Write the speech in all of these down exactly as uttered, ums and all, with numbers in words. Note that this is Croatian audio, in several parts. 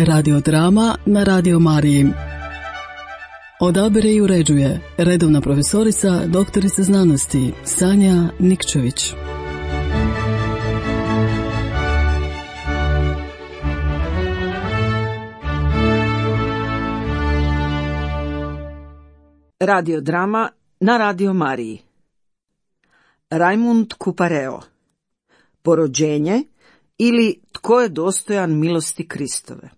Radiodrama na Radio Mariji. Odabire i uređuje redovna profesorica, doktorica znanosti Sanja Nikčević. Radiodrama na Radio Mariji. Rajmund Kupareo. Porođenje ili Tko je dostojan milosti Kristove.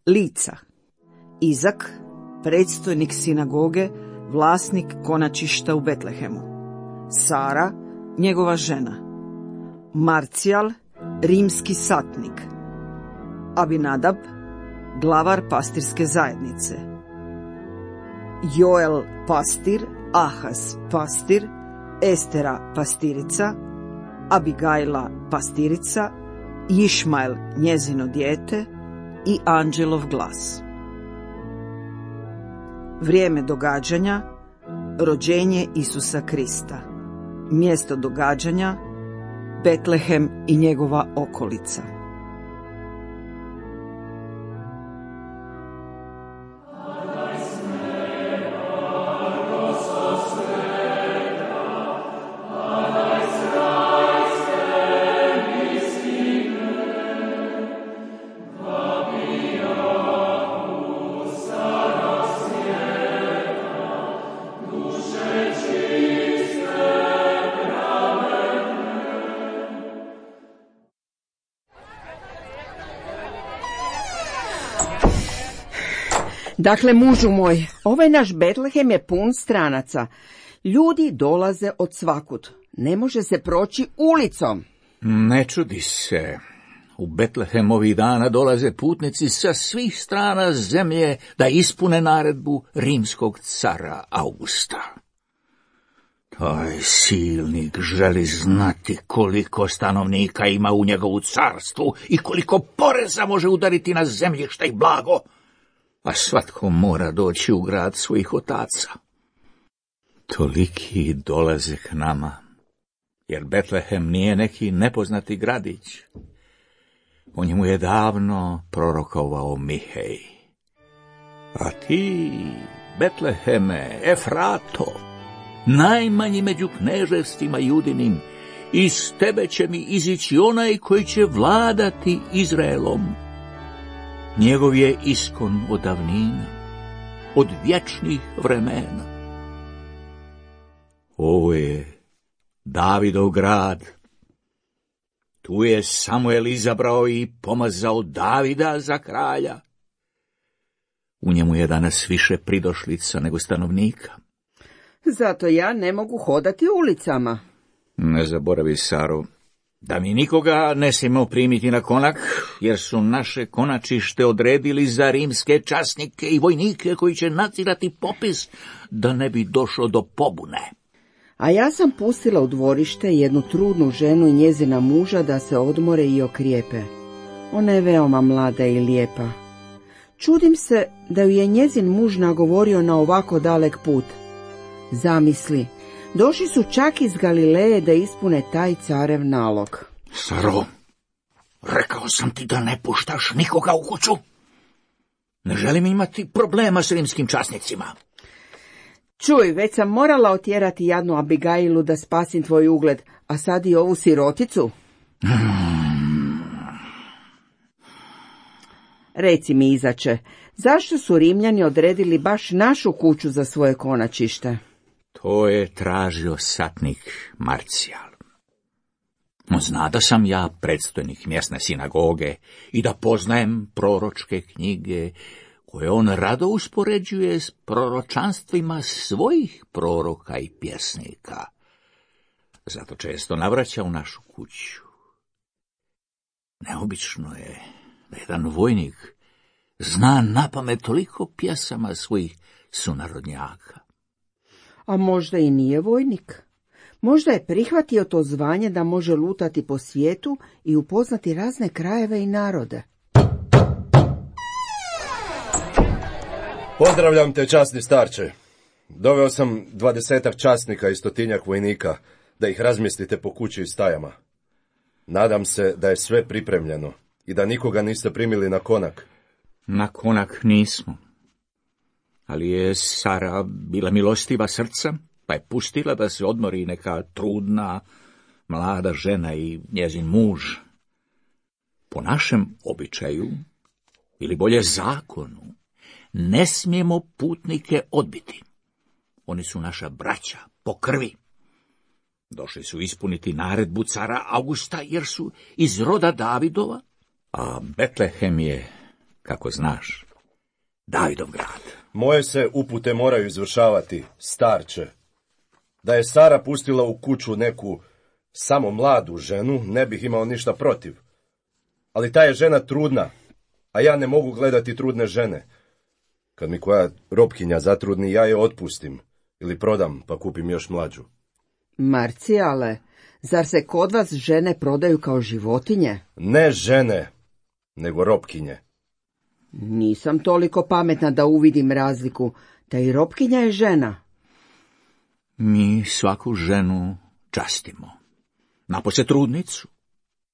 Lica: Izak, predstojnik sinagoge, vlasnik konačišta u Betlehemu. Sara, njegova žena. Marcijal, rimski satnik. Abinadab, glavar pastirske zajednice. Joel, pastir. Ahaz, pastir. Estera, pastirica. Abigajla, pastirica. Išmael, njezino dijete. I anđelov glas. Vrijeme događanja: rođenje Isusa Krista. Mjesto događanja: Betlehem i njegova okolica. Dakle, mužu moj, ovaj naš Betlehem je pun stranaca. Ljudi dolaze od svakud. Ne može se proći ulicom. Ne čudi se. U Betlehem ovih dana dolaze putnici sa svih strana zemlje da ispune naredbu rimskog cara Augusta. Taj silnik želi znati koliko stanovnika ima u njegovu carstvu i koliko poreza može udariti na zemljišta i blago. A svatko mora doći u grad svojih otaca. Toliki dolaze k nama, jer Betlehem nije neki nepoznati gradić. O njemu je davno prorokovao Mihej. A ti, Betleheme, Efrato, najmanji među kneževstvima Judinim, iz tebe će mi izići onaj koji će vladati Izraelom. Njegov je iskon od davnina, od vječnih vremena. Ovo je Davidov grad. Tu je Samuel izabrao i pomazao Davida za kralja. U njemu je danas više pridošlica nego stanovnika. Zato ja ne mogu hodati ulicama. Ne zaboravi, Saro, da mi nikoga ne smijemo primiti na konak, jer su naše konačište odredili za rimske časnike i vojnike koji će nadzirati popis, da ne bi došlo do pobune. A ja sam pustila u dvorište jednu trudnu ženu i njezina muža da se odmore i okrijepe. Ona je veoma mlada i lijepa. Čudim se da ju je njezin muž nagovorio na ovako dalek put. Zamisli, došli su čak iz Galileje da ispune taj carev nalog. Saro, rekao sam ti da ne puštaš nikoga u kuću. Ne želim imati problema s rimskim časnicima. Čuj, već sam morala otjerati jadnu Abigajlu da spasim tvoj ugled, a sad i ovu siroticu. Hmm. Reci mi, Izače, zašto su Rimljani odredili baš našu kuću za svoje konačište? To je tražio satnik Marcijal. On zna da sam ja predstojnik mjesne sinagoge i da poznajem proročke knjige, koje on rado uspoređuje s proročanstvima svojih proroka i pjesnika. Zato često navraća u našu kuću. Neobično je da jedan vojnik zna napamet toliko pjesama svojih sunarodnjaka. A možda i nije vojnik. Možda je prihvatio to zvanje da može lutati po svijetu i upoznati razne krajeve i narode. Pozdravljam te, časni starče. Doveo sam dvadesetak časnika i stotinjak vojnika, da ih razmjestite po kući i stajama. Nadam se da je sve pripremljeno i da nikoga niste primili na konak, Na konak nismo. Ali je Sara bila milostiva srca, pa je pustila da se odmori neka trudna, mlada žena i njezin muž. Po našem običaju, ili bolje zakonu, ne smijemo putnike odbiti. Oni su naša braća, po krvi. Došli su ispuniti naredbu cara Augusta, jer su iz roda Davidova, a Betlehem je, kako znaš, Davidov grad. Moje se upute moraju izvršavati, starče. Da je Sara pustila u kuću neku samo mladu ženu, ne bih imao ništa protiv. Ali ta je žena trudna, a ja ne mogu gledati trudne žene. Kad mi koja robkinja zatrudni, ja je otpustim ili prodam pa kupim još mlađu. Marcijale, zar se kod vas žene prodaju kao životinje? Ne žene, nego robkinje. Nisam toliko pametna da uvidim razliku, da i robkinja je žena. Mi svaku ženu častimo, napose trudnicu,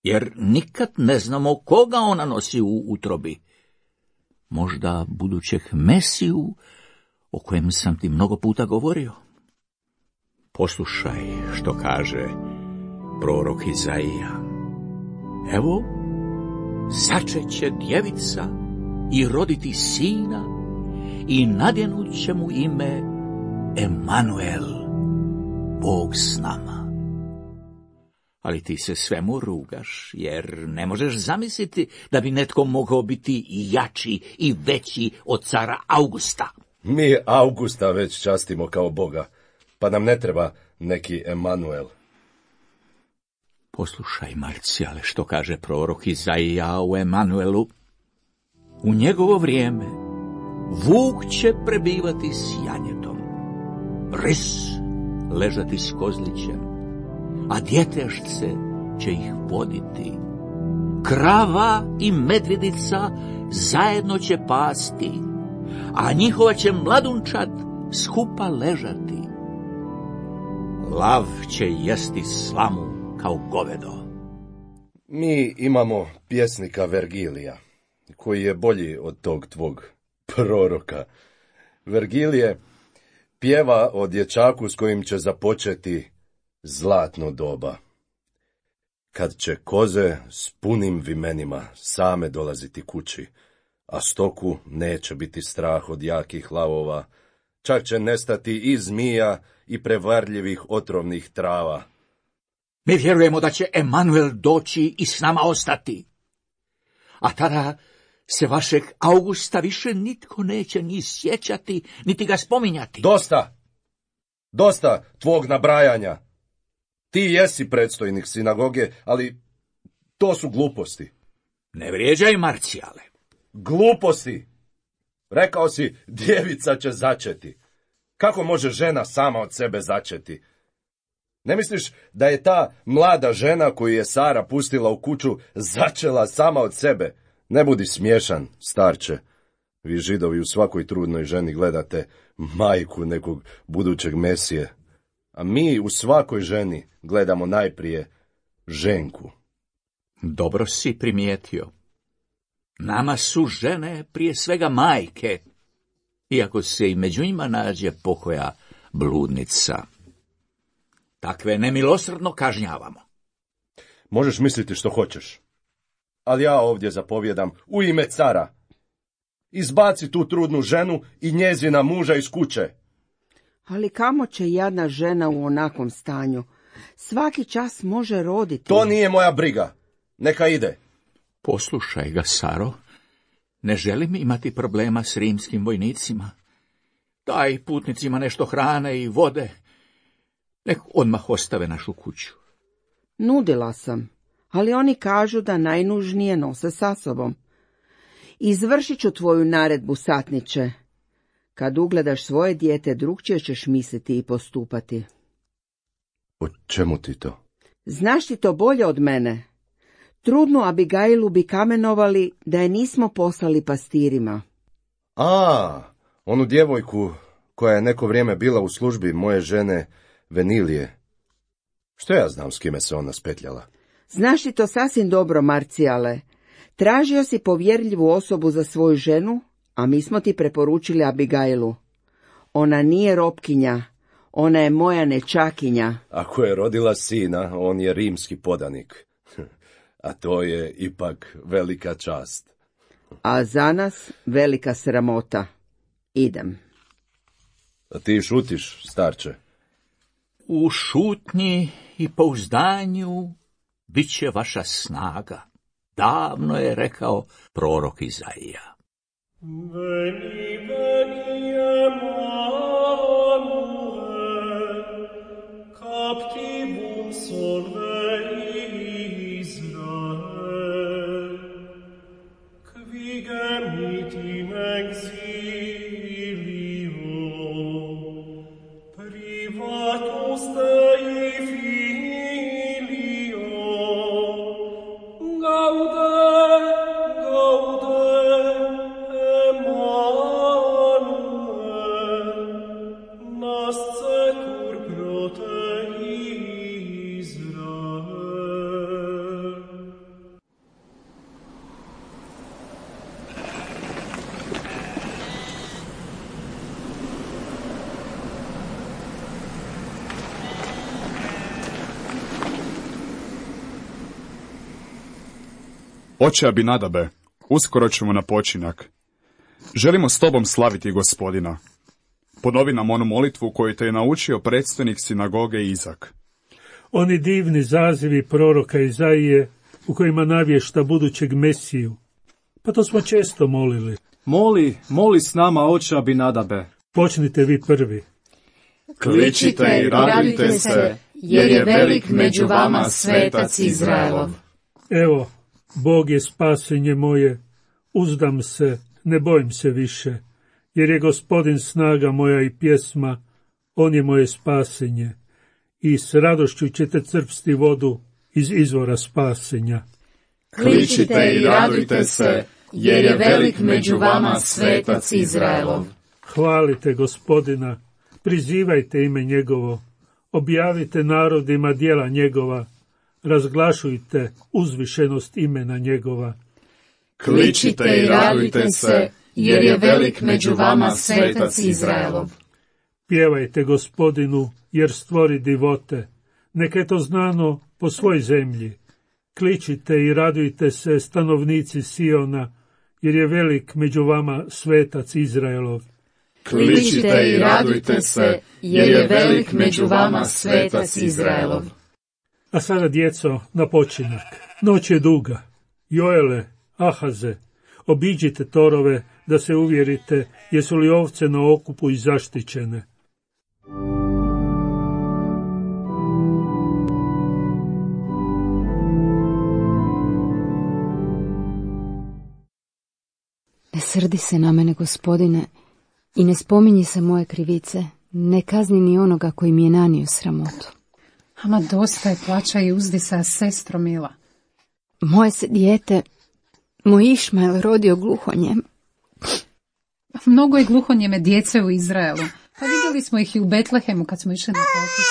jer nikad ne znamo koga ona nosi u utrobi. Možda budućeg Mesiju, o kojem sam ti mnogo puta govorio. Poslušaj što kaže prorok Izaija. Evo, začeće djevica i roditi sina i nadjenut će mu ime Emanuel, Bog s nama. Ali ti se svemu rugaš, jer ne možeš zamisliti da bi netko mogao biti jači i veći od cara Augusta. Mi Augusta već častimo kao Boga, pa nam ne treba neki Emanuel. Poslušaj, Marcijale, što kaže prorok Izaija o Emanuelu. U njegovo vrijeme vuk će prebivati s janjetom, ris ležati s kozlićem, a djetešce će ih voditi. Krava i medvjedica zajedno će pasti, a njihova će mladunčad skupa ležati. Lav će jesti slamu kao govedo. Mi imamo pjesnika Vergilija, koji je bolji od tog tvog proroka. Vergilije pjeva o dječaku s kojim će započeti zlatno doba. Kad će koze s punim vimenima same dolaziti kući, a stoku neće biti strah od jakih lavova, čak će nestati i zmija i prevarljivih otrovnih trava. Mi vjerujemo da će Emanuel doći i s nama ostati. A tada se vašeg Augusta više nitko neće ni sjećati, niti ga spominjati. Dosta! Dosta tvog nabrajanja. Ti jesi predstojnik sinagoge, ali to su gluposti. Ne vrijeđaj, Marcijale. Gluposti! Rekao si, djevica će začeti. Kako može žena sama od sebe začeti? Ne misliš da je ta mlada žena koju je Sara pustila u kuću začela sama od sebe? Ne budi smiješan, starče. Vi Židovi u svakoj trudnoj ženi gledate majku nekog budućeg Mesije. A mi u svakoj ženi gledamo najprije ženku. Dobro si primijetio. Nama su žene prije svega majke, iako se i među njima nađe pokoja bludnica. Takve nemilosrdno kažnjavamo. Možeš misliti što hoćeš, ali ja ovdje zapovjedam u ime cara. Izbaci tu trudnu ženu i njezina muža iz kuće. Ali kamo će jadna žena u onakvom stanju? Svaki čas može roditi. To nije moja briga. Neka ide. Poslušaj ga, Saro. Ne želim imati problema s rimskim vojnicima. Daj putnicima nešto hrane i vode. Nek odmah ostave našu kuću. Nudila sam, ali oni kažu da najnužnije nose sa sobom. Izvršit ću tvoju naredbu, satniče. Kad ugledaš svoje dijete, drugčije ćeš misliti i postupati. O čemu ti to? Znaš ti to bolje od mene. Trudnu Abigailu bi kamenovali da je nismo poslali pastirima. A, onu djevojku koja je neko vrijeme bila u službi moje žene Venilije. Što ja znam s kime se ona spetljala? Znaš ti to sasvim dobro, Marcijale. Tražio si povjerljivu osobu za svoju ženu, a mi smo ti preporučili Abigailu. Ona nije robkinja, ona je moja nečakinja. Ako je rodila sina, on je rimski podanik. A to je ipak velika čast. A za nas velika sramota. Idem. A ti šutiš, starče? U šutnji i pouzdanju bit će vaša snaga. Davno je rekao prorok Izaija. Veni, veni, Emanuel, captivum solve Israel, qui gemit in exilio, privatus Dei filio, gaude, gaude, Emanuel, nascetur pro te Israel. Oče Abinadabe, uskoro ćemo na počinak. Želimo s tobom slaviti Gospodina. Ponovi nam onu molitvu koju te je naučio predstojnik sinagoge Izak. Oni divni zazivi proroka Izaije u kojima navješta budućeg Mesiju. Pa to smo često molili. Moli, moli s nama, oče Abinadabe. Počnite vi prvi. Kličite i radujte se, jer je velik među vama svetac Izraelov. Evo, Bog je spasenje moje, uzdam se, ne bojim se više, jer je Gospodin snaga moja i pjesma, on je moje spasenje, i s radošću ćete crpsti vodu iz izvora spasenja. Kličite i radujte se, jer je velik među vama svetac Izraelov. Hvalite Gospodina, prizivajte ime njegovo, objavite narodima djela njegova, razglašujte uzvišenost imena njegova. Kličite i radujte se, jer je velik među vama svetac Izraelov. Pjevajte Gospodinu, jer stvori divote, neka je to znano po svoj zemlji. Kličite i radujte se, stanovnici Siona, jer je velik među vama svetac Izraelov. Kličite i radujte se, jer je velik među vama svetac Izraelov. A sada, djeco, na počinak. Noć je duga. Joele, Ahaze, obiđite torove da se uvjerite jesu li ovce na okupu i zaštićene. Ne srdi se na mene, Gospodine, i ne spominji se moje krivice, ne kazni ni onoga koji mi je nanio sramotu. Ama dosta je plaća i uzdisa, sestro mila. Moje se dijete, moj Išmael, rodio gluhonjem. Mnogo je gluhonjeme djece u Izraelu, pa vidjeli smo ih i u Betlehemu kad smo išli na popis.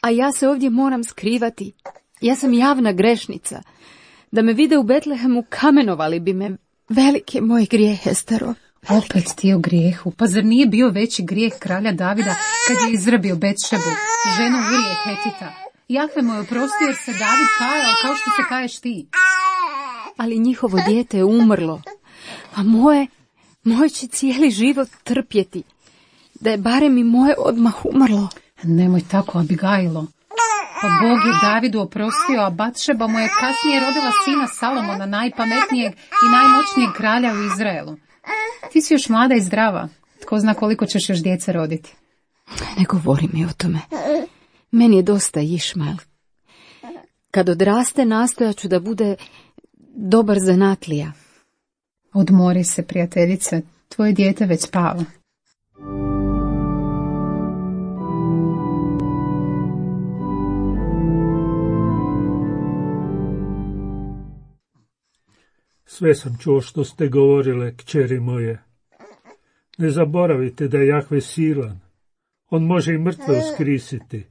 A ja se ovdje moram skrivati. Ja sam javna grešnica. Da me vide u Betlehemu, kamenovali bi me. Velik je moj grijeh, Estero. Opet ti o grijehu, pa zar nije bio veći grijeh kralja Davida kad je izrabio Betšebu, ženu Urije Hetita? Jahve mu je oprostio jer se David kajao kao što se kaješ ti. Ali njihovo dijete je umrlo, a moje, moje će cijeli život trpjeti. Da je barem i moje odmah umrlo. Nemoj tako, Abigailo. Pa Bog je Davidu oprostio, a Batšeba mu je kasnije rodila sina Salomona, najpametnijeg i najmoćnijeg kralja u Izraelu. Ti si još mlada i zdrava. Tko zna koliko ćeš još djece roditi. Ne govori mi o tome. Meni je dosta Išmael. Kad odraste, nastojat ću da bude dobar zanatlija. Odmori se, prijateljice. Tvoje dijete već spava. Sve sam čuo što ste govorile, kćeri moje. Ne zaboravite da je Jahve silan. On može i mrtve uskrisiti.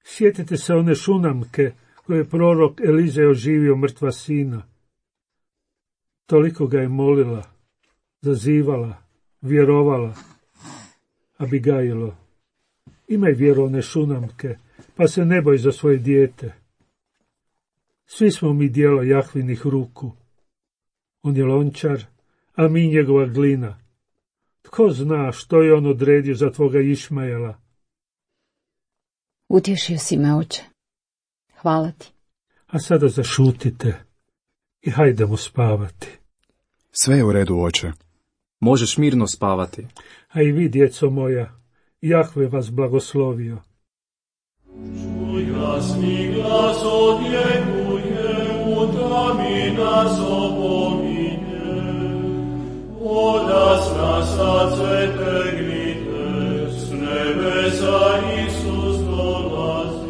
Sjetite se one šunamke koje je prorok Elizej oživio mrtva sina. Toliko ga je molila, zazivala, vjerovala. Abigajlo, imaj vjerovne šunamke, pa se ne boj za svoje dijete. Svi smo mi dijelo Jahvinih ruku. On je lončar, a mi njegova glina. Tko zna što je on odredio za tvoga Išmajela? Utješio si me, oče. Hvala ti. A sada zašutite i hajdemo spavati. Sve je u redu, oče. Možeš mirno spavati. A i vi, djeco moja, Jahve vas blagoslovio. Čuj glasni glas odjekuje, u tami nas opominje. Odas na srce tegnite, s nebesa Isus dolazi.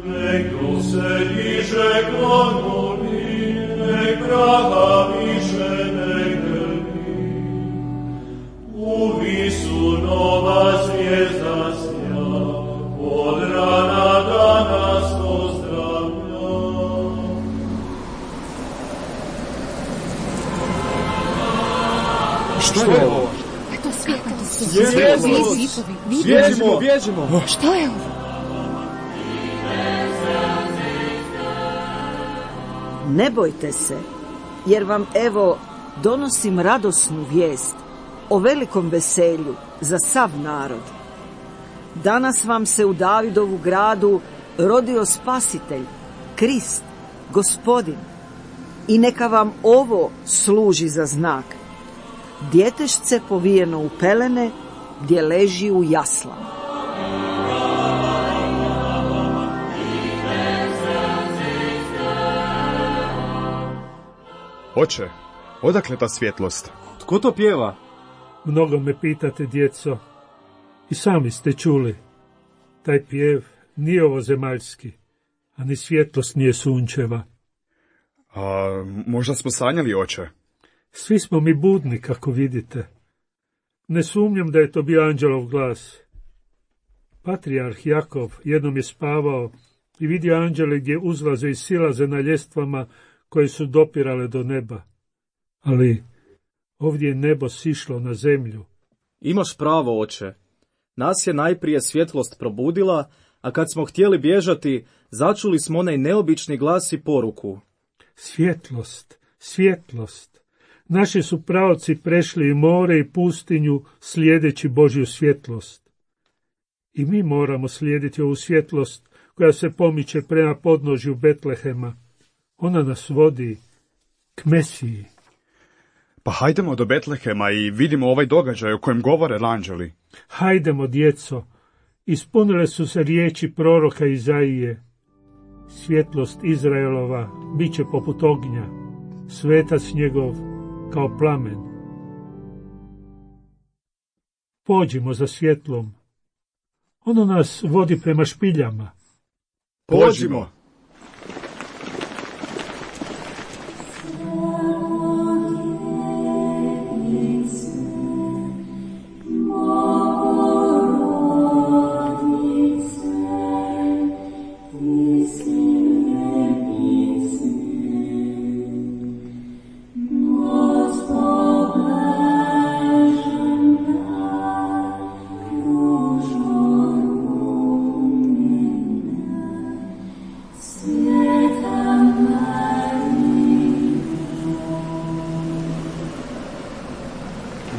Nek duh se diže klonuli, nek praha više ne grbi. U visu nova zvijezda sja, od rana da nas pozdravlja. Što je ovo? Eto svjetlo. Svjetlo. Bježimo, bježimo. Što je ovo? Ne bojte se, jer vam evo donosim radosnu vijest o velikom veselju za sav narod. Danas vam se u Davidovu gradu rodio Spasitelj, Krist, Gospodin. I neka vam ovo služi za znak. Djetešce povijeno u pelene, gdje leži u jaslama. Oče, odakle ta svjetlost? Tko to pjeva? Mnogo me pitate, djeco, i sami ste čuli. Taj pjev nije ovozemaljski, a ni svjetlost nije sunčeva. A možda smo sanjali, oče? Svi smo mi budni, kako vidite. Ne sumnjam da je to bio anđelov glas. Patrijarh Jakov jednom je spavao i vidio anđele gdje uzlaze i silaze na ljestvama koje su dopirale do neba. Ali ovdje je nebo sišlo na zemlju. Imaš pravo, oče. Nas je najprije svjetlost probudila, a kad smo htjeli bježati, začuli smo onaj neobični glas i poruku. Svjetlost, svjetlost. Naši su praoci prešli i more i pustinju slijedeći Božju svjetlost. I mi moramo slijediti ovu svjetlost koja se pomiče prema podnožju Betlehema. Ona nas vodi k Mesiji. Pa hajdemo do Betlehema i vidimo ovaj događaj o kojem govore anđeli. Hajdemo, djeco, ispunile su se riječi proroka Izaije. Svjetlost Izraelova bit će poput ognja, svetac njegov kao plamen. Pođimo za svjetlom. Ono nas vodi prema špiljama. Pođimo!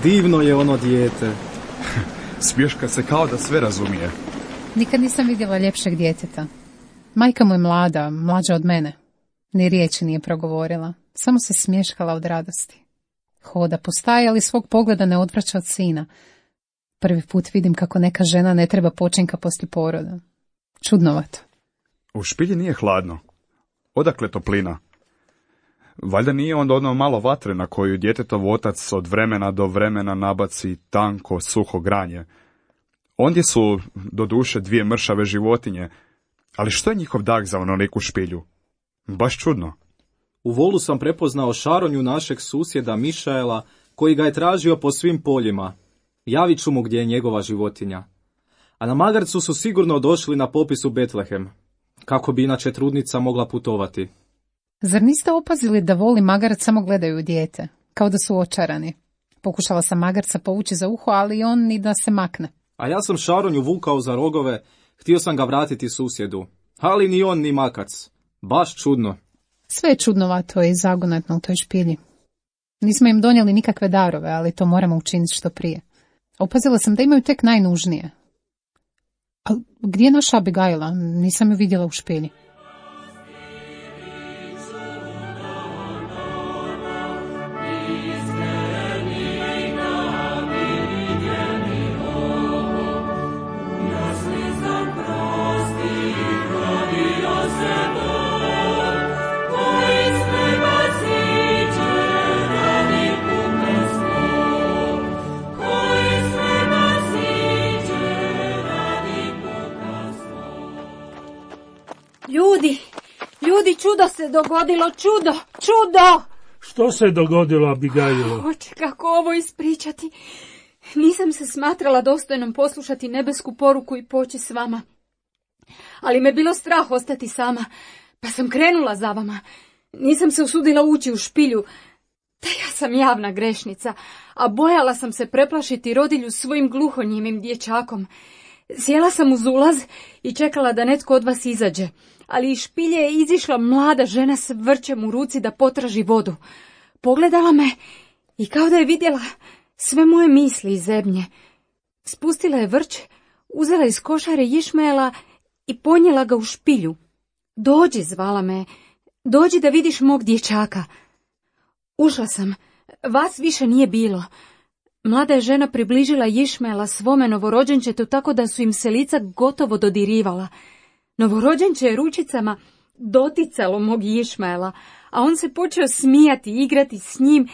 Divno je ono dijete. Smješka se kao da sve razumije. Nikad nisam vidjela ljepšeg djeteta. Majka mu je mlada, mlađa od mene. Ni riječi nije progovorila, samo se smješkala od radosti. Hoda po staji, ali svog pogleda ne odvraća od sina. Prvi put vidim kako neka žena ne treba počinka poslije poroda. Čudnovato. U špilji nije hladno. Odakle toplina? Valjda nije onda ono malo vatre na koju djetetov otac od vremena do vremena nabaci tanko, suho granje. Ondje su, doduše, dvije mršave životinje, ali što je njihov dah za onoliku špilju? Baš čudno. U volu sam prepoznao šaronju našeg susjeda Mišaela, koji ga je tražio po svim poljima. Javit ću mu gdje je njegova životinja. A na magarcu su sigurno došli na popis u Betlehem, kako bi inače trudnica mogla putovati. Zar niste opazili da voli magarac samo gledaju u dijete, kao da su očarani? Pokušala sam magarca povući za uho, ali on ni da se makne. A ja sam Šaronju vukao za rogove, htio sam ga vratiti susjedu, ali ni on ni makac. Baš čudno. Sve je čudnovato i zagonetno u toj špilji. Nismo im donijeli nikakve darove, ali to moramo učiniti što prije. Opazila sam da imaju tek najnužnije. A gdje je naša Abigaila? Nisam ju vidjela u špilji. Ljudi, ljudi, čudo se dogodilo, čudo, čudo! Što se dogodilo, Abigailo? Oče, kako ovo ispričati? Nisam se smatrala dostojnom poslušati nebesku poruku i poći s vama. Ali me bilo strah ostati sama, pa sam krenula za vama. Nisam se usudila ući u špilju, da ja sam javna grešnica, a bojala sam se preplašiti rodilju svojim gluhonjimim dječakom. Sjela sam uz ulaz i čekala da netko od vas izađe, ali iz špilje je izišla mlada žena s vrčem u ruci da potraži vodu. Pogledala me i kao da je vidjela sve moje misli i zebnje. Spustila je vrč, uzela iz košare Išmaela i ponijela ga u špilju. Dođi, zvala me, dođi da vidiš mog dječaka. Ušla sam, vas više nije bilo. Mlada je žena približila Išmaela svome novorođenčetu tako da su im se lica gotovo dodirivala. Novorođenče je ručicama doticalo mog Išmaela, a on se počeo smijati i igrati s njim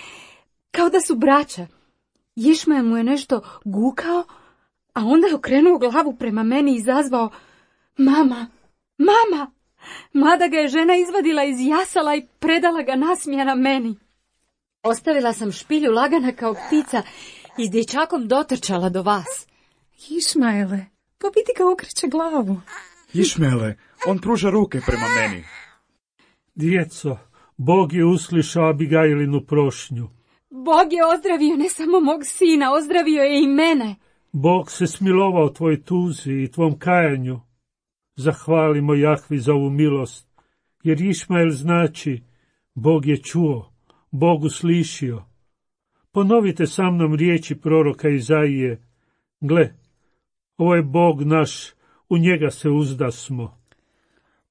kao da su braća. Išmael mu je nešto gukao, a onda je okrenuo glavu prema meni i izazvao: mama, mama! Mlada ga je žena izvadila iz jasala i predala ga nasmijana meni. Ostavila sam špilju lagana kao ptica i s dječakom dotrčala do vas. Išmaele, pa vidi ga okreće glavu. Išmaele, on pruža ruke prema meni. Djeco, Bog je uslišao Abigailinu prošnju. Bog je ozdravio ne samo mog sina, ozdravio je i mene. Bog se smilovao tvoj tuzi i tvom kajanju. Zahvalimo Jahvi za ovu milost, jer Išmael znači Bog je čuo, Bog uslišio. Ponovite sa mnom riječi proroka Izaije: gle, ovo je Bog naš, u njega se uzdasmo.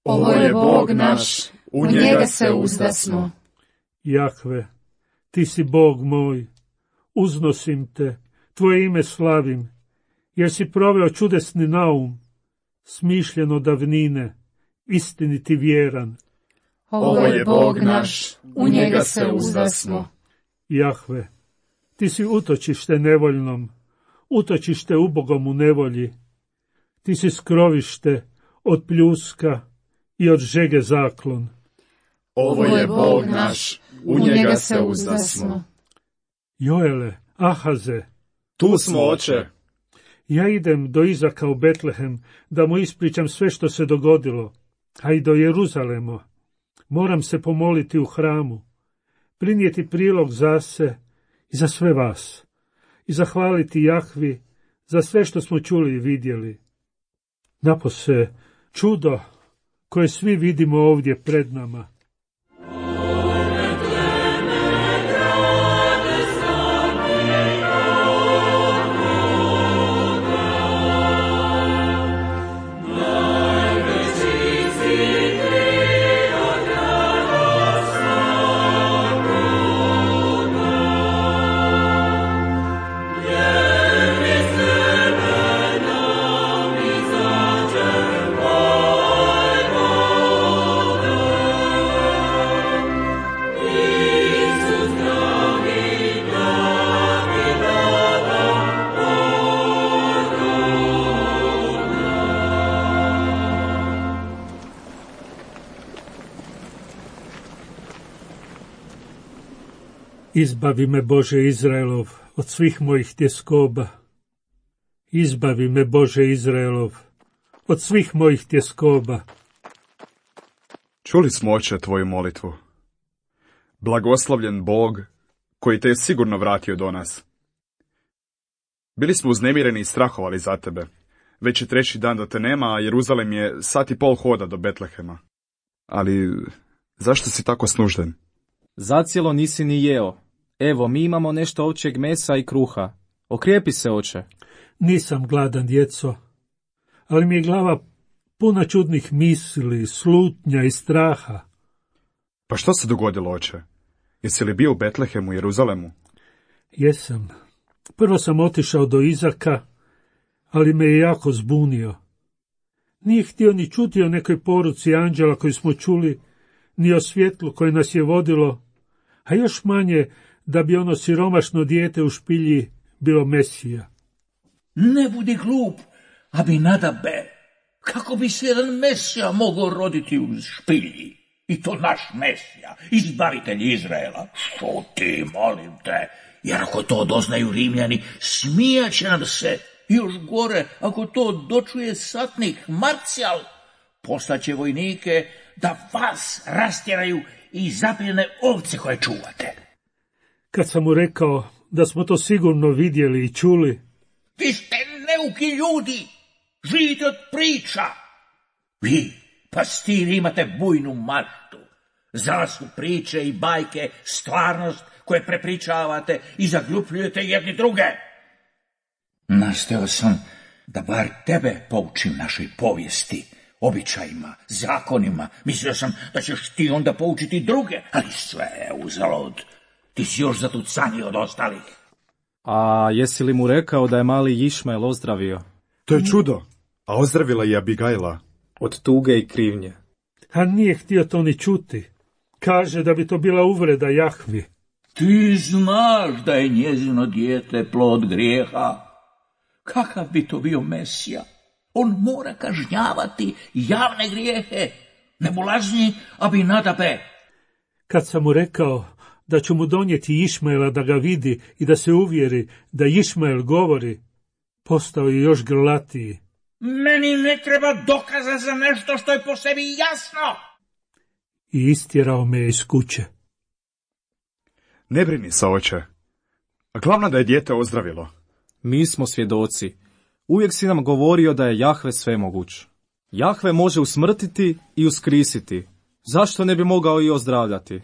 Ovo je Bog naš, u njega se uzdasmo. Jahve, ti si Bog moj, uznosim te, tvoje ime slavim, jer si proveo čudesni naum, smišljen od davnine, istiniti vjeran. Ovo je Bog naš, u njega se uzdasmo. Jahve, ti si utočište nevoljnom, utočište ubogom u nevolji. Ti si skrovište od pljuska i od žege zaklon. Ovo je Bog naš, u njega se uzdasmo. Joele, Ahaze, Tu smo, oče. ja idem do Izaka u Betlehem da mu ispričam sve što se dogodilo, a i do Jeruzalema. Moram se pomoliti u hramu, prinijeti prilog za se i za sve vas, i zahvaliti Jahvi za sve što smo čuli i vidjeli. Napose čudo koje svi vidimo ovdje pred nama. Izbavi me, Bože Izraelov, od svih mojih tjeskoba. Izbavi me, Bože Izraelov, od svih mojih tjeskoba. Čuli smo, oče, tvoju molitvu. Blagoslovljen Bog, koji te je sigurno vratio do nas. Bili smo uznemireni i strahovali za tebe. Već je treći dan da te nema, a Jeruzalem je sat i pol hoda do Betlehema. Ali zašto si tako snužden? Zacijelo nisi ni jeo. Evo, mi imamo nešto ovčjeg mesa i kruha. Okrijepi se, oče. Nisam gladan, djeco, ali mi je glava puna čudnih misli, slutnja i straha. Pa što se dogodilo, oče? Jesi li bio u Betlehemu, Jeruzalemu? Jesam. Prvo sam otišao do Izaka, ali me je jako zbunio. Nije htio ni čuti o nekoj poruci anđela koju smo čuli, ni o svjetlu koje nas je vodilo, a još manje da bi ono siromašno dijete u špilji bilo Mesija. Ne budi glup, Abinadabe. Kako bi se jedan Mesija mogao roditi u špilji? I to naš Mesija, izbavitelj Izraela. Što ti, molim te, jer ako to doznaju Rimljani, smijaće nam se. Još gore, ako to dočuje satnik Marcijal, poslaće vojnike da vas rastjeraju i zapljene ovce koje čuvate. Kad sam mu rekao da smo to sigurno vidjeli i čuli... Vi ste neuki ljudi, živite od priča. Vi, pastiri, imate bujnu maštu. Za vas su priče i bajke stvarnost koje prepričavate i zaglupljujete jedni druge. Nastao sam da bar tebe poučim našoj povijesti, običajima, zakonima. Mislio sam da ćeš ti onda poučiti druge, ali sve je uzalud. Ti si još zatucaniji od ostalih. A jesi li mu rekao da je mali Išmael ozdravio? To je čudo, a ozdravila je Abigajla. Od tuge i krivnje. A nije htio to ni čuti. Kaže da bi to bila uvreda Jahvi. Ti znaš da je njezino dijete plod grijeha. Kakav bi to bio Mesija? On mora kažnjavati javne grijehe. Nebulazni Abinadabe. Kad sam mu rekao da ću mu donijeti Išmaela da ga vidi i da se uvjeri da Išmael govori, postao je još grlatiji. Meni ne treba dokaza za nešto što je po sebi jasno. I istjerao me iz kuće. Ne brini se, oče. Glavno da je dijete ozdravilo. Mi smo svjedoci. Uvijek si nam govorio da je Jahve svemoguć. Jahve može usmrtiti i uskrisiti. Zašto ne bi mogao i ozdravljati?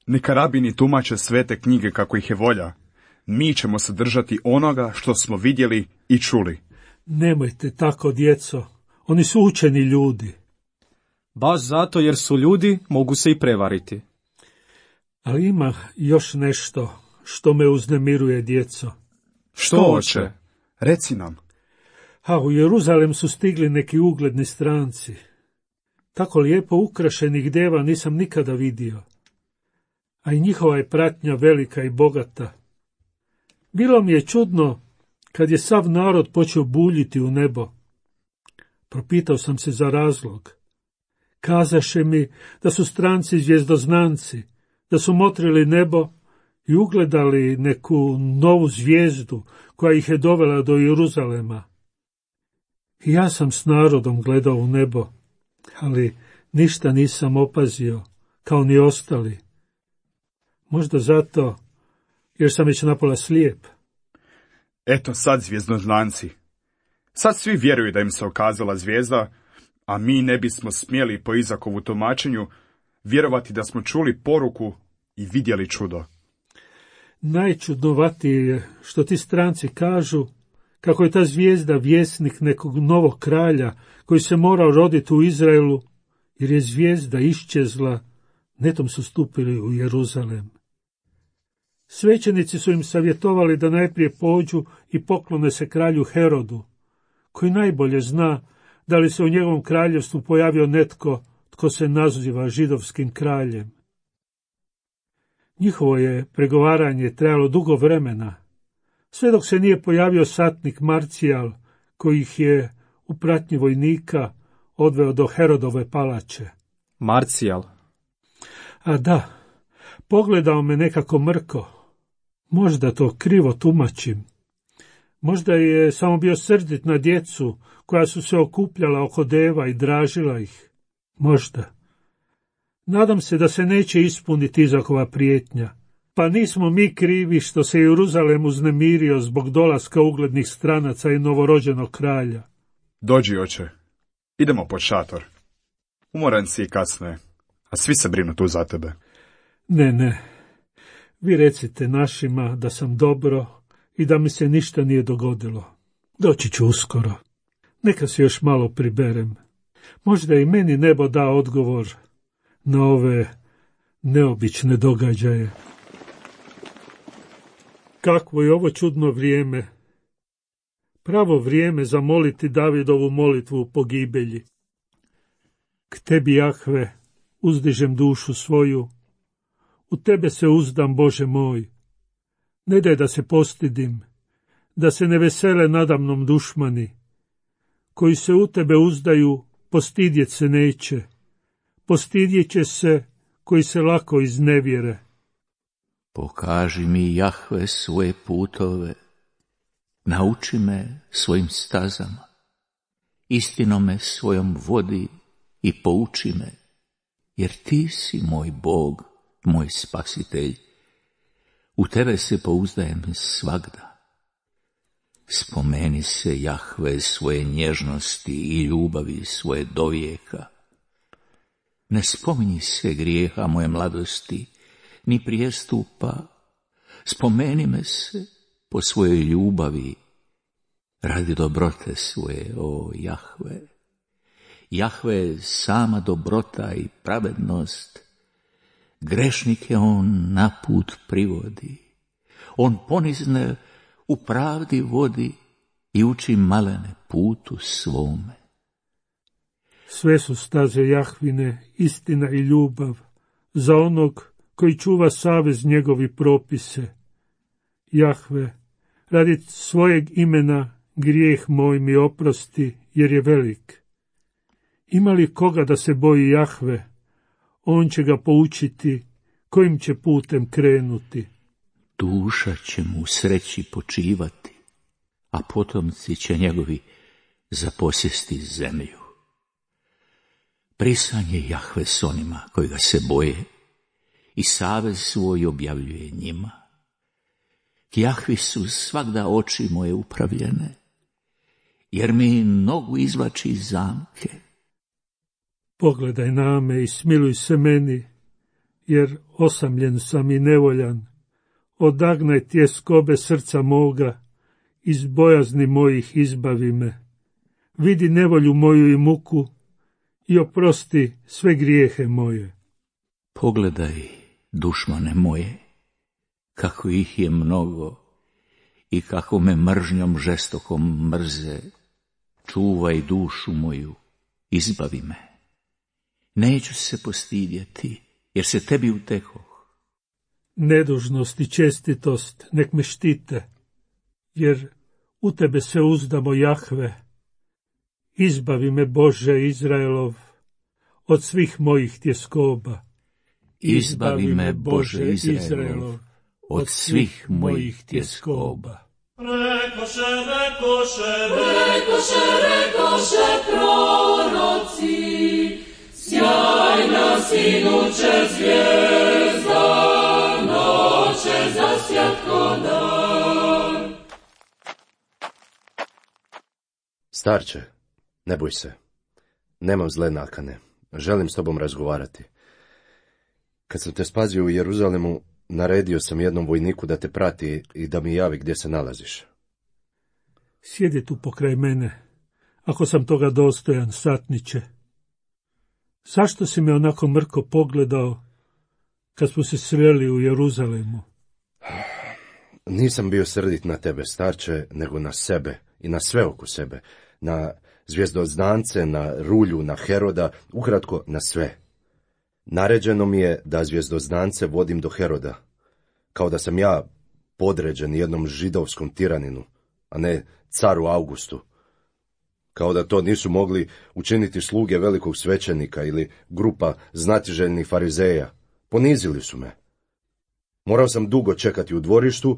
Neka rabini tumače svete knjige kako ih je volja. Mi ćemo se držati onoga što smo vidjeli i čuli. Nemojte tako, djeco. Oni su učeni ljudi. Baš zato jer su ljudi, mogu se i prevariti. Ali ima još nešto što me uznemiruje, djeco. Što, oče? Reci nam. A u Jeruzalem su stigli neki ugledni stranci. Tako lijepo ukrašenih deva nisam nikada vidio. A i njihova je pratnja velika i bogata. Bilo mi je čudno kad je sav narod počeo buljiti u nebo. Propitao sam se za razlog. Kazaše mi da su stranci zvjezdoznanci, da su motrili nebo i ugledali neku novu zvijezdu koja ih je dovela do Jeruzalema. I ja sam s narodom gledao u nebo, ali ništa nisam opazio, kao ni ostali. Možda zato, jer sam već napola slijep. Eto sad zvjezdoznanci. Sad svi vjeruju da im se okazala zvijezda, a mi ne bismo smjeli po Izakovu tumačenju vjerovati da smo čuli poruku i vidjeli čudo. Najčudnovatije je što ti stranci kažu kako je ta zvijezda vjesnik nekog novog kralja koji se morao roditi u Izraelu, jer je zvijezda iščezla, netom su stupili u Jeruzalem. Svećenici su im savjetovali da najprije pođu i poklone se kralju Herodu, koji najbolje zna da li se u njegovom kraljevstvu pojavio netko tko se naziva židovskim kraljem. Njihovo je pregovaranje trajalo dugo vremena, sve dok se nije pojavio satnik Marcijal, koji ih je u pratnji vojnika odveo do Herodove palače. Marcijal? A da, pogledao me nekako mrko. Možda to krivo tumačim. Možda je samo bio srdit na djecu koja su se okupljala oko deva i dražila ih. Možda. Nadam se da se neće ispuniti Izakova prijetnja. Pa nismo mi krivi što se Jeruzalem uznemirio zbog dolaska uglednih stranaca i novorođenog kralja. Dođi, oče. Idemo pod šator. Umoran si i kasno je, a svi se brinu tu za tebe. Ne, ne. Vi recite našima da sam dobro i da mi se ništa nije dogodilo. Doći ću uskoro. Neka se još malo priberem. Možda i meni nebo da odgovor na ove neobične događaje. Kakvo je ovo čudno vrijeme. Pravo vrijeme za moliti Davidovu molitvu u pogibelji. K tebi, Jahve, uzdižem dušu svoju. U tebe se uzdam, Bože moj. Ne daj da se postidim, da se ne vesele nadamnom dušmani. Koji se u tebe uzdaju, postidjet se neće. Postidjet će se koji se lako iznevjere. Pokaži mi, Jahve, svoje putove, nauči me svojim stazama, istinom me svojom vodi i pouči me, jer ti si moj Bog, moj spasitelj. U tebe se pouzdajem svagda. Spomeni se, Jahve, svoje nježnosti i ljubavi svoje dovijeka. Ne spominji se grijeha moje mladosti, ni prijestupa. Spomeni me se po svojoj ljubavi, radi dobrote svoje, o Jahve. Jahve, sama dobrota i pravednost, grešnike on na put privodi. On ponizne u pravdi vodi i uči malene putu svome. Sve su staze Jahvine, istina i ljubav, za onog koji čuva savez njegovi propise. Jahve, radi svojeg imena grijeh moj mi oprosti, jer je velik. Ima li koga da se boji Jahve, on će ga poučiti kojim će putem krenuti. Duša će mu u sreći počivati, a potomci će njegovi zaposjesti zemlju. Prisan je Jahve s onima koji ga se boje i savez svoj objavljuje njima. K Jahvi su svagda oči moje upravljene, jer mi nogu izvlači iz zamke. Pogledaj na me i smiluj se meni, jer osamljen sam i nevoljan. Odagnaj tjeskobe srca moga, iz bojazni mojih izbavi me. Vidi nevolju moju i muku i oprosti sve grijehe moje. Pogledaj, dušmane moje, kako ih je mnogo i kako me mržnjom žestokom mrze. Čuvaj dušu moju, izbavi me. Neću se postidjeti, jer se tebi utekoh. Nedužnost i čestitost nek me štite, jer u tebe se uzdamo, Jahve. Izbavi me, Bože Izraelov, od svih mojih tjeskoba. Izbavi me, Bože Izraelov, od svih mojih tjeskoba. Rekoše, rekoše, rekoše, rekoše proroci, sjajna sinuće zvijezda, noće zasjatko dan. Starče, ne boj se. Nemam zle nakane. Želim s tobom razgovarati. Kad sam te spazio u Jeruzalemu, naredio sam jednom vojniku da te prati i da mi javi gdje se nalaziš. Sjedi tu pokraj mene, ako sam toga dostojan, satniče. Zašto si me onako mrko pogledao kad smo se sreli u Jeruzalemu? Nisam bio srdit na tebe, starče, nego na sebe i na sve oko sebe. Na zvjezdoznance, na rulju, na Heroda, ukratko na sve. Naređeno mi je da zvjezdoznance vodim do Heroda, kao da sam ja podređen jednom židovskom tiraninu, a ne caru Augustu. Kao da to nisu mogli učiniti sluge velikog svećenika ili grupa znatiželjnih farizeja. Ponizili su me. Morao sam dugo čekati u dvorištu,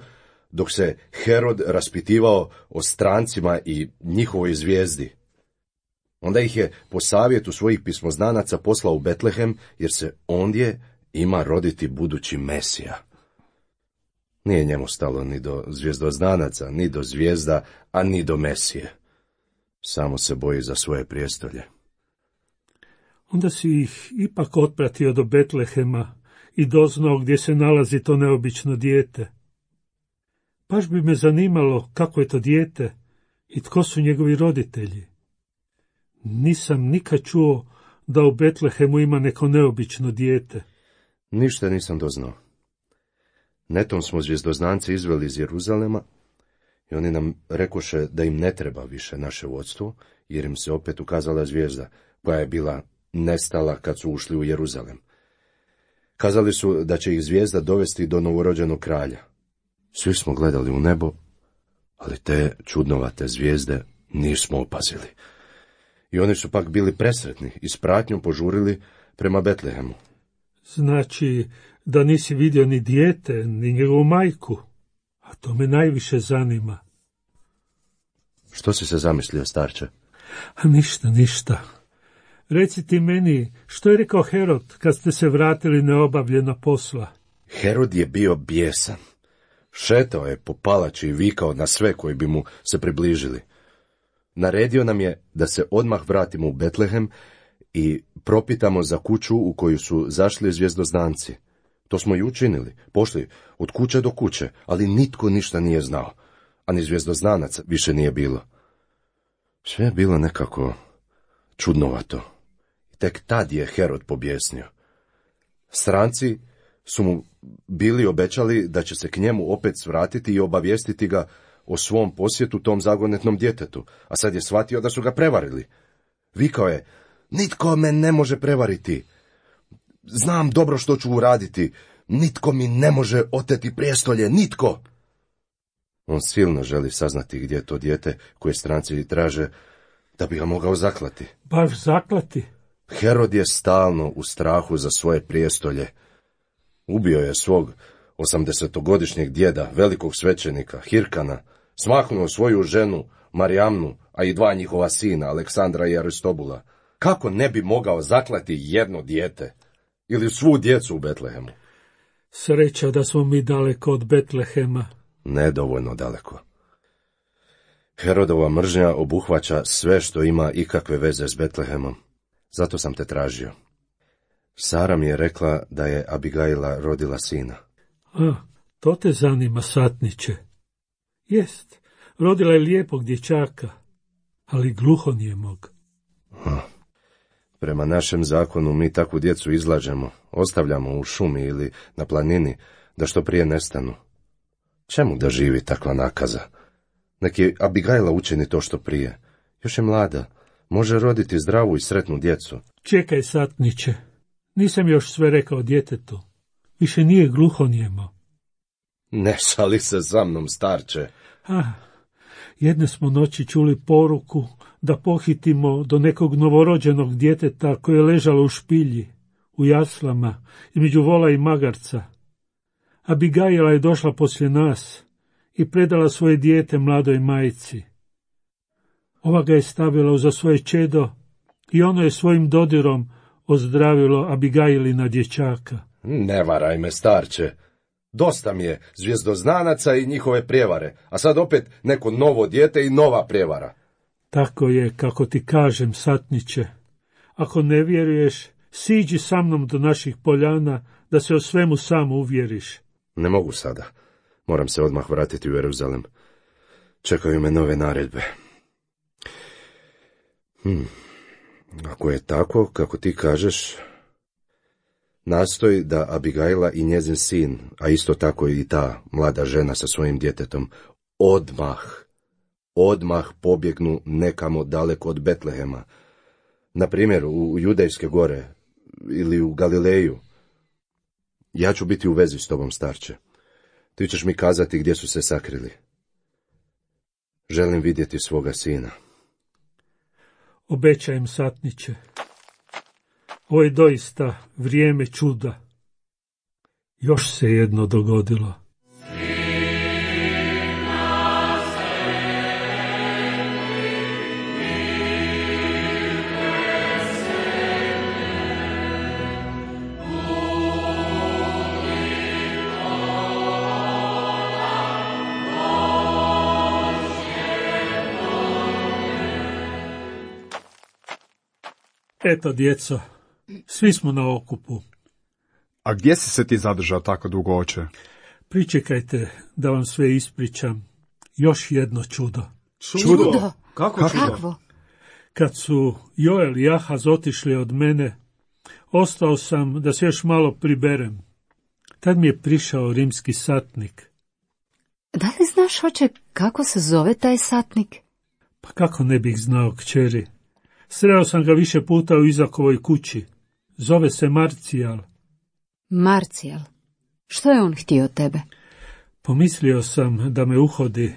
dok se Herod raspitivao o strancima i njihovoj zvijezdi. Onda ih je po savjetu svojih pismoznanaca poslao u Betlehem, jer se ondje ima roditi budući Mesija. Nije njemu stalo ni do zvjezdoznanaca, ni do zvijezda, a ni do Mesije. Samo se boji za svoje prijestolje. Onda si ih ipak otpratio do Betlehema i doznao gdje se nalazi to neobično dijete. Baš bi me zanimalo kako je to dijete i tko su njegovi roditelji. Nisam nikad čuo da u Betlehemu ima neko neobično dijete. Ništa nisam doznao. Netom smo zvjezdoznanci izveli iz Jeruzalema i oni nam rekoše da im ne treba više naše vodstvo, jer im se opet ukazala zvijezda koja je bila nestala kad su ušli u Jeruzalem. Kazali su da će ih zvijezda dovesti do novorođenog kralja. Svi smo gledali u nebo, ali te čudnovate zvijezde nismo opazili. I oni su pak bili presretni i s pratnjom požurili prema Betlehemu. Znači da nisi vidio ni dijete, ni njegovu majku, a to me najviše zanima. Što si se zamislio, starče? A ništa, ništa. Reci ti meni, što je rekao Herod kad ste se vratili neobavljena posla? Herod je bio bijesan. Šetao je po palači i vikao na sve koji bi mu se približili. Naredio nam je da se odmah vratimo u Betlehem i propitamo za kuću u koju su zašli zvjezdoznanci. To smo i učinili, pošli od kuće do kuće, ali nitko ništa nije znao, a ni zvjezdoznanac više nije bilo. Sve je bilo nekako čudnovato. Tek tad je Herod pobjesnio. Stranci su mu bili obećali da će se k njemu opet svratiti i obavijestiti ga o svom posjetu tom zagonetnom djetetu, a sad je shvatio da su ga prevarili. Vikao je, nitko me ne može prevariti. Znam dobro što ću uraditi. Nitko mi ne može oteti prijestolje, nitko. On silno želi saznati gdje je to dijete koje stranci traže da bi ga mogao zaklati. Baš zaklati? Herod je stalno u strahu za svoje prijestolje. Ubio je svog osamdesetogodišnjeg djeda, velikog svećenika, Hirkana, smaknuo svoju ženu, Marijamnu, a i dva njihova sina, Aleksandra i Aristobula. Kako ne bi mogao zaklati jedno dijete? Ili svu djecu u Betlehemu? Sreća da smo mi daleko od Betlehema. Nedovoljno daleko. Herodova mržnja obuhvaća sve što ima ikakve veze s Betlehemom. Zato sam te tražio. Sara mi je rekla da je Abigaila rodila sina. A, to te zanima, satniče. Jest, rodila je lijepog dječaka, ali gluhonijemog. A, prema našem zakonu mi takvu djecu izlažemo, ostavljamo u šumi ili na planini, da što prije nestanu. Čemu da živi takva nakaza? Neki Abigaila učini to što prije. Još je mlada, može roditi zdravu i sretnu djecu. Čekaj, satniče, nisam još sve rekao djetetu. Više nije gluhonijemo. Ne šali se za mnom, starče. Ah, jedne smo noći čuli poruku da pohitimo do nekog novorođenog djeteta koje je ležalo u špilji, u jaslama, između vola i magarca. Abigaila je došla poslije nas i predala svoje dijete mladoj majci. Ova ga je stavila uza svoje čedo i ono je svojim dodirom ozdravilo Abigailina dječaka. Ne varaj me, starče. Dosta mi je zvjezdoznanaca i njihove prijevare, a sad opet neko novo dijete i nova prijevara. Tako je, kako ti kažem, satniče. Ako ne vjeruješ, siđi sa mnom do naših poljana, da se o svemu sam uvjeriš. Ne mogu sada. Moram se odmah vratiti u Jeruzalem. Čekaju me nove naredbe. Hm. Ako je tako, kako ti kažeš, nastoj da Abigaila i njezin sin, a isto tako i ta mlada žena sa svojim djetetom, odmah, odmah pobjegnu nekamo daleko od Betlehema. Na primjer, u Judejske gore ili u Galileju. Ja ću biti u vezi s tobom, starče. Ti ćeš mi kazati gdje su se sakrili. Želim vidjeti svoga sina. Obećajem, satniče. Ovo je doista vrijeme čuda. Još se jedno dogodilo. Svima Eto, djeco, svi smo na okupu. A gdje si se ti zadržao tako dugo, oče? Pričekajte da vam sve ispričam. Još jedno čudo. Čudo? Čudo? Kako Kakvo? čudo? Kakvo? Kad su Joel i Ahaz otišli od mene, ostao sam da se još malo priberem. Tad mi je prišao rimski satnik. Da li znaš, oče, kako se zove taj satnik? Pa kako ne bih znao, kćeri? Sreo sam ga više puta u Izakovoj kući. Zove se Marcijal. Marcijal. Što je on htio od tebe? Pomislio sam da me uhodi,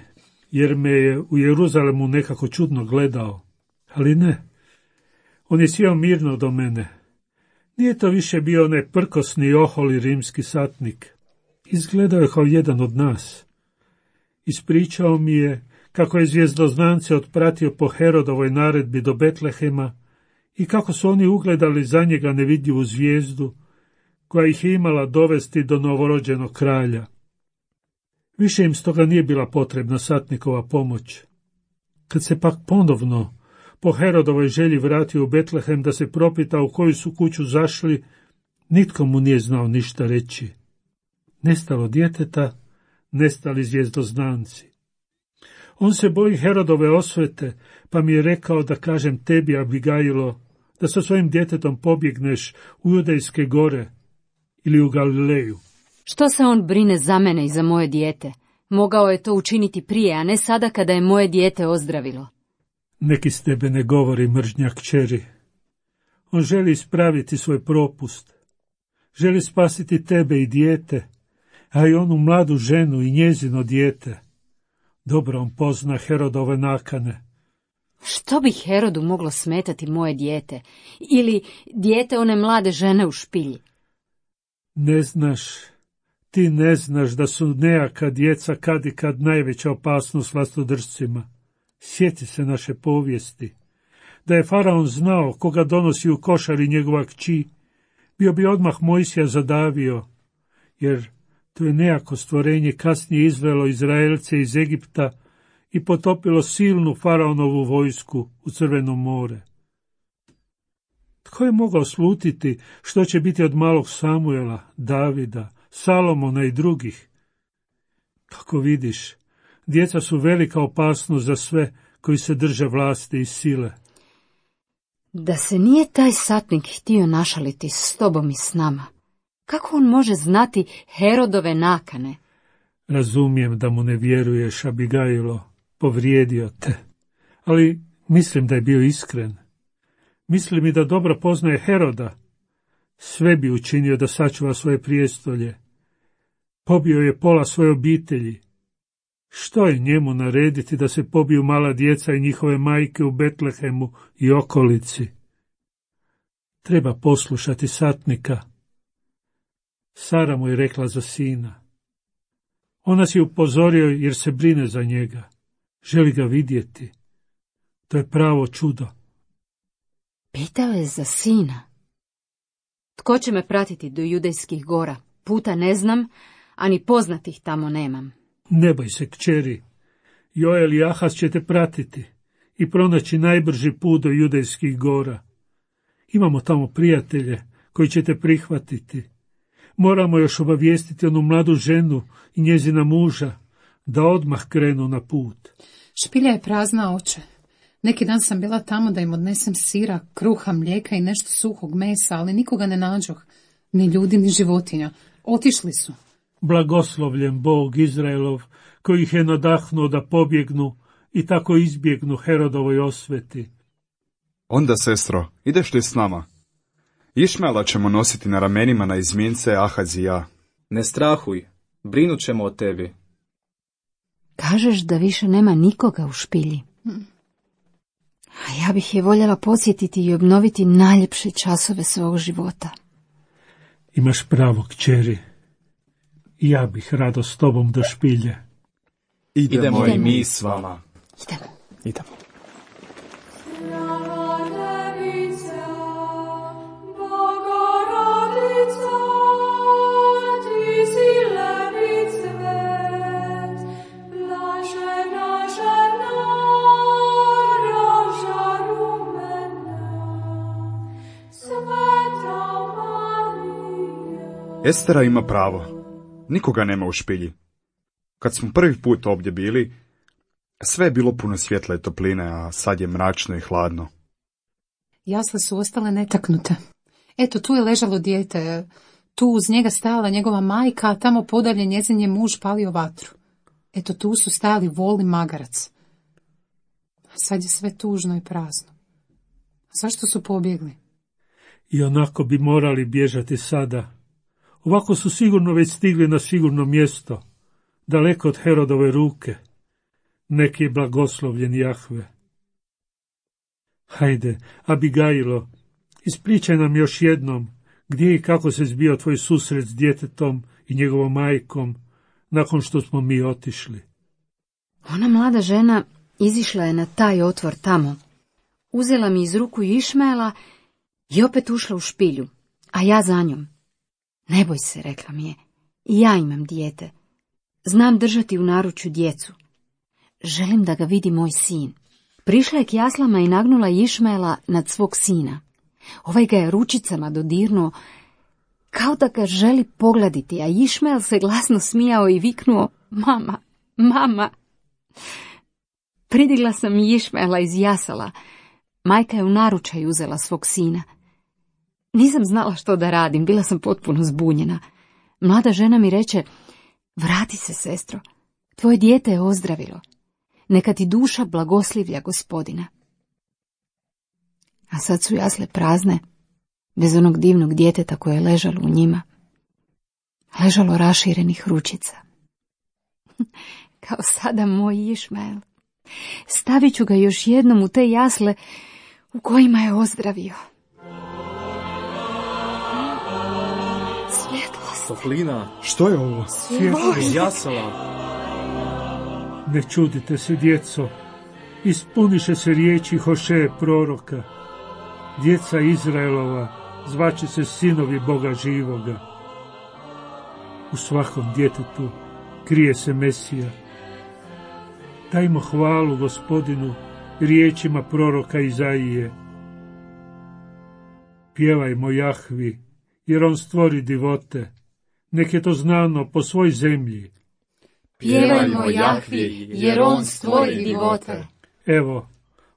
jer me je u Jeruzalemu nekako čudno gledao. Ali ne. On je sjeo mirno do mene. Nije to više bio onaj prkosni oholi rimski satnik. Izgledao je kao jedan od nas. Ispričao mi je kako je zvjezdoznance otpratio po Herodovoj naredbi do Betlehema i kako su oni ugledali za njega nevidljivu zvijezdu koja ih je imala dovesti do novorođenog kralja. Više im stoga nije bila potrebna satnikova pomoć. Kad se pak ponovno po Herodovoj želji vratio u Betlehem da se propita u koju su kuću zašli, nitko mu nije znao ništa reći. Nestalo djeteta, nestali zvjezdoznanci. On se boji Herodove osvete, pa mi je rekao da kažem tebi, Abigajlo, da sa svojim djetetom pobjegneš u Judejske gore ili u Galileju. Što se on brine za mene i za moje dijete? Mogao je to učiniti prije, a ne sada kada je moje dijete ozdravilo. Neki s tebe ne govori, mržnja kćeri. On želi ispraviti svoj propust. Želi spasiti tebe i dijete, a i onu mladu ženu i njezino dijete. Dobro on pozna Herodove nakane. Što bi Herodu moglo smetati moje dijete? Ili dijete one mlade žene u špilji? Ne znaš, ti ne znaš da su nejaka djeca kad i kad najveća opasnost vlastodržcima. Sjeti se naše povijesti. Da je faraon znao koga donosi u košari njegova kći, bio bi odmah Mojsija zadavio, jer to je nejako stvorenje kasnije izvelo Izraelce iz Egipta i potopilo silnu faraonovu vojsku u Crveno more. Tko je mogao slutiti što će biti od malog Samuela, Davida, Salomona i drugih? Kako vidiš, djeca su velika opasnost za sve koji se drže vlasti i sile. Da se nije taj satnik htio našaliti s tobom i s nama, kako on može znati Herodove nakane? Razumijem da mu ne vjeruješ, Abigajlo, povrijedio te, ali mislim da je bio iskren. Mislim i da dobro poznaje Heroda. Sve bi učinio da sačuva svoje prijestolje. Pobio je pola svoje obitelji. Što je njemu narediti da se pobiju mala djeca i njihove majke u Betlehemu i okolici? Treba poslušati satnika. Sara mu je rekla za sina. On nas je upozorio jer se brine za njega. Želi ga vidjeti. To je pravo čudo. Pitao je za sina. Tko će me pratiti do Judejskih gora? Puta ne znam, a ni poznatih tamo nemam. Ne boj se, kćeri. Joel i Ahaz će te pratiti i pronaći najbrži put do Judejskih gora. Imamo tamo prijatelje koji će te prihvatiti. Moramo još obavijestiti onu mladu ženu i njezina muža da odmah krenu na put. Špilja je prazna, oče. Neki dan sam bila tamo da im odnesem sira, kruha, mlijeka i nešto suhog mesa, ali nikoga ne nađoh, ni ljudi, ni životinja. Otišli su. Blagoslovljen Bog Izraelov, koji ih je nadahnuo da pobjegnu i tako izbjegnu Herodovoj osveti. Onda, sestro, ideš li s nama? Išmela ćemo nositi na ramenima na izmjence Ahaz i ja. Ne strahuj, brinut ćemo o tebi. Kažeš da više nema nikoga u špilji. A ja bih je voljela podsjetiti i obnoviti najljepše časove svog života. Imaš pravo, kćeri. Ja bih rado s tobom do špilje. Idemo, Idemo. i mi s vama. Idemo. Idemo. Estera ima pravo. Nikoga nema u špilji. Kad smo prvi put ovdje bili, sve je bilo puno svjetla i topline, a sad je mračno i hladno. Jasle su ostale netaknute. Eto, tu je ležalo dijete, tu uz njega stajala njegova majka, a tamo podalje njezin je muž palio vatru. Eto, tu su stajali vol i magarac. Sad je sve tužno i prazno. Zašto su pobjegli? I onako bi morali bježati sada. Ovako su sigurno već stigli na sigurno mjesto, daleko od Herodove ruke. Neki je blagoslovljen Jahve. Hajde, Abigailo, ispričaj nam još jednom gdje i kako se zbio tvoj susret s djetetom i njegovom majkom nakon što smo mi otišli. Ona mlada žena izišla je na taj otvor tamo. Uzela mi iz ruku Išmaela i opet ušla u špilju, a ja za njom. Ne boj se, rekla mi je, i ja imam dijete. Znam držati u naručju djecu. Želim da ga vidi moj sin. Prišla je k jaslama i nagnula Išmaela nad svog sina. Ovaj ga je ručicama dodirnuo, kao da ga želi pogladiti, a Išmael se glasno smijao i viknuo, mama, mama. Pridigla sam Išmaela iz jasala. Majka je u naručaj uzela svog sina. Nisam znala što da radim, bila sam potpuno zbunjena. Mlada žena mi reče, vrati se, sestro, tvoje dijete je ozdravilo. Neka ti duša blagoslivlja Gospodina. A sad su jasle prazne, bez onog divnog djeteta koje je ležalo u njima. Ležalo raširenih ručica. Kao sada moj Išmael. Stavit ću ga još jednom u te jasle u kojima je ozdravio. Svjetlost. Toplina. Što je ovo? Svjetlost. Iz jasala. Ne čudite se, djeco, ispuniše se riječi Hošeje proroka. Djeca Izraelova zvaće se sinovi Boga živoga. U svakom djetetu krije se Mesija. Dajmo hvalu Gospodinu riječima proroka Izaije. Pjevajmo Jahvi, jer on stvori divote. Nek je to znano po svoj zemlji. Pjevajmo Jahvi, jer on stvori divote. Evo,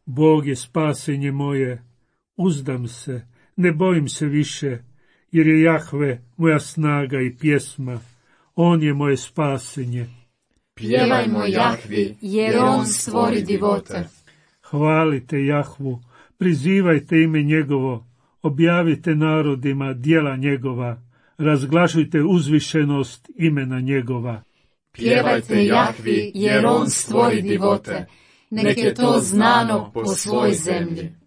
Bog je spasenje moje, uzdam se, ne bojim se više, jer je Jahve moja snaga i pjesma, on je moje spasenje. Pjevajmo Jahvi, jer on stvori divote. Hvalite Jahvu, prizivajte ime njegovo, objavite narodima djela njegova, razglašujte uzvišenost imena njegova. Pjevajte Jahvi, jer on stvori divote. Nek je to znano po svoj zemlji.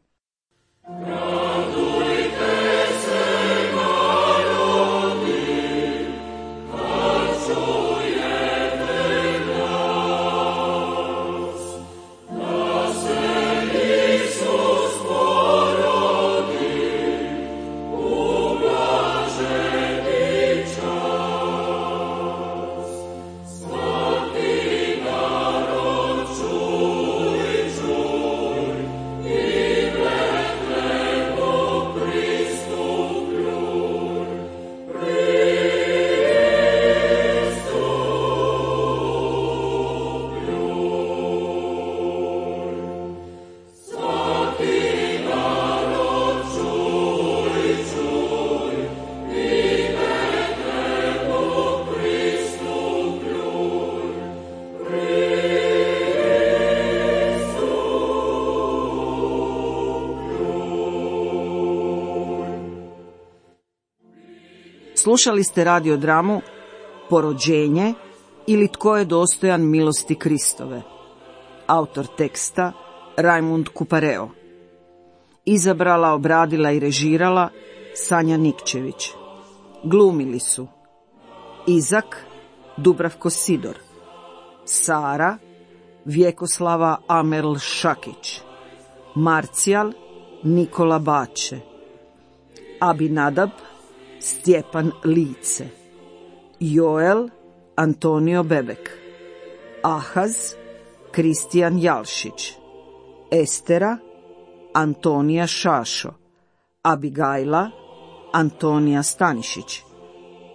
Slušali ste radiodramu Porođenje ili Tko je dostojan milosti Kristove. Autor teksta Rajmund Kupareo. Izabrala, obradila i režirala Sanja Nikčević. Glumili su Izak Dubravko Sidor, Sara Vjekoslava Amerl Šakić, Marcijal Nikola Bače, Abinadab Stjepan Lice, Joel Antonio Bebek, Ahaz Kristijan Jalšić, Estera Antonija Šašo, Abigajla Antonija Stanišić,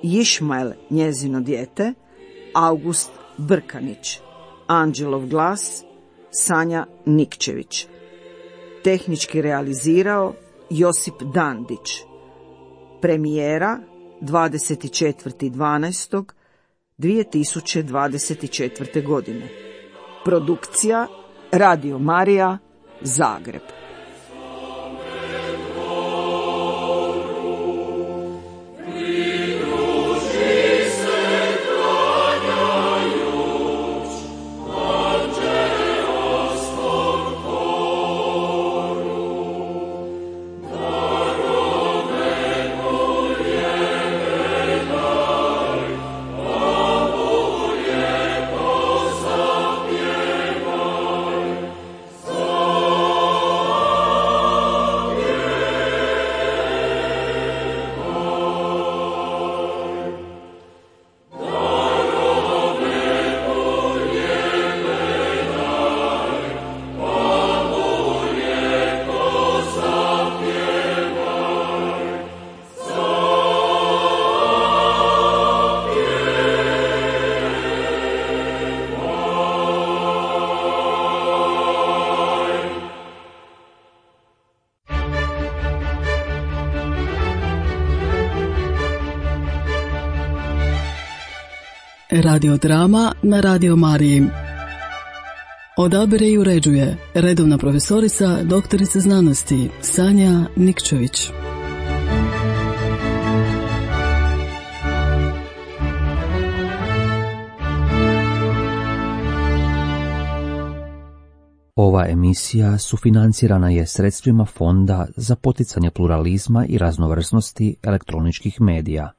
Išmael njezino dijete, August Brkanić. Anđelov glas, Sanja Nikčević. Tehnički realizirao Josip Dandić. Premijera dvadeset četvrtog dvanaestog dvije tisuće dvadeset četvrte. godine. Produkcija Radio Marija, Zagreb. Radiodrama na Radio Mariji. Odabire i uređuje redovna profesorica, doktorica znanosti Sanja Nikčević. Ova emisija sufinancirana je sredstvima Fonda za poticanje pluralizma i raznovrsnosti elektroničkih medija.